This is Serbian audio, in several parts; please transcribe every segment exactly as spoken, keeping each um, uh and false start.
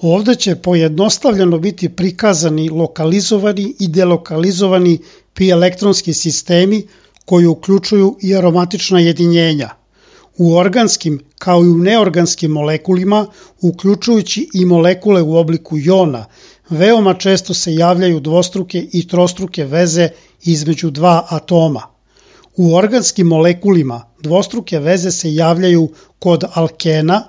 Ovde će pojednostavljeno biti prikazani lokalizovani i delokalizovani pi elektronski sistemi koji uključuju i aromatična jedinjenja. U organskim kao i u neorganskim molekulima, uključujući i molekule u obliku jona, veoma često se javljaju dvostruke i trostruke veze između dva atoma. U organskim molekulima dvostruke veze se javljaju kod alkena,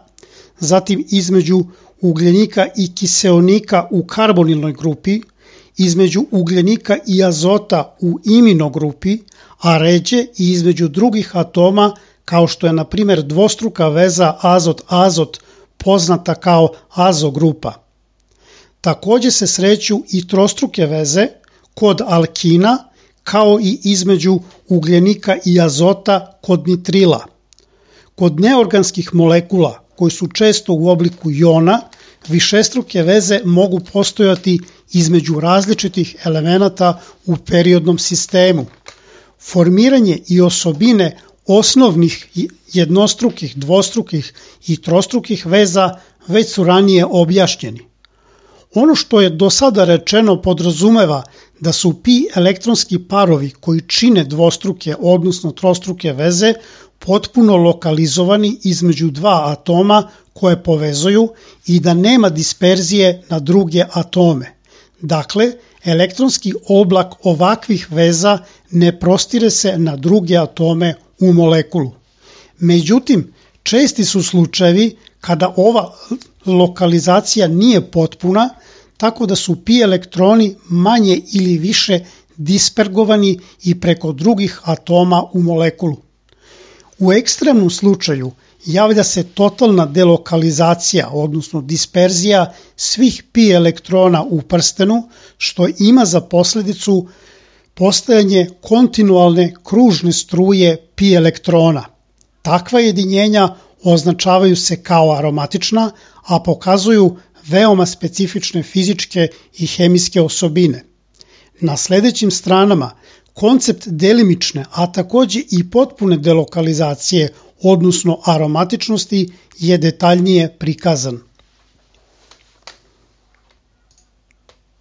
zatim između ugljenika i kiseonika u karbonilnoj grupi, između ugljenika i azota u imino grupi, a ređe i između drugih atoma kao što je na primjer dvostruka veza azot-azot poznata kao azogrupa. Takođe se sreću i trostruke veze kod alkina kao i između ugljenika i azota kod nitrila. Kod neorganskih molekula koji su često u obliku jona, višestruke veze mogu postojati između različitih elemenata u periodnom sistemu. Formiranje i osobine osnovnih jednostrukih, dvostrukih i trostrukih veza već su ranije objašnjeni. Ono što je do sada rečeno podrazumeva da su pi elektronski parovi koji čine dvostruke, odnosno trostruke veze, potpuno lokalizovani između dva atoma koje povezuju i da nema disperzije na druge atome. Dakle, elektronski oblak ovakvih veza ne prostire se na druge atome u molekulu. Međutim, česti su slučajevi kada ova lokalizacija nije potpuna, tako da su pi elektroni manje ili više dispergovani i preko drugih atoma u molekulu. U ekstremnom slučaju javlja se totalna delokalizacija, odnosno disperzija svih pi elektrona u prstenu, što ima za posledicu postojanje kontinualne kružne struje pi elektrona. Takva jedinjenja označavaju se kao aromatična, a pokazuju veoma specifične fizičke i hemijske osobine. Na sledećim stranama koncept delimične, a takođe i potpune delokalizacije, odnosno aromatičnosti, je detaljnije prikazan.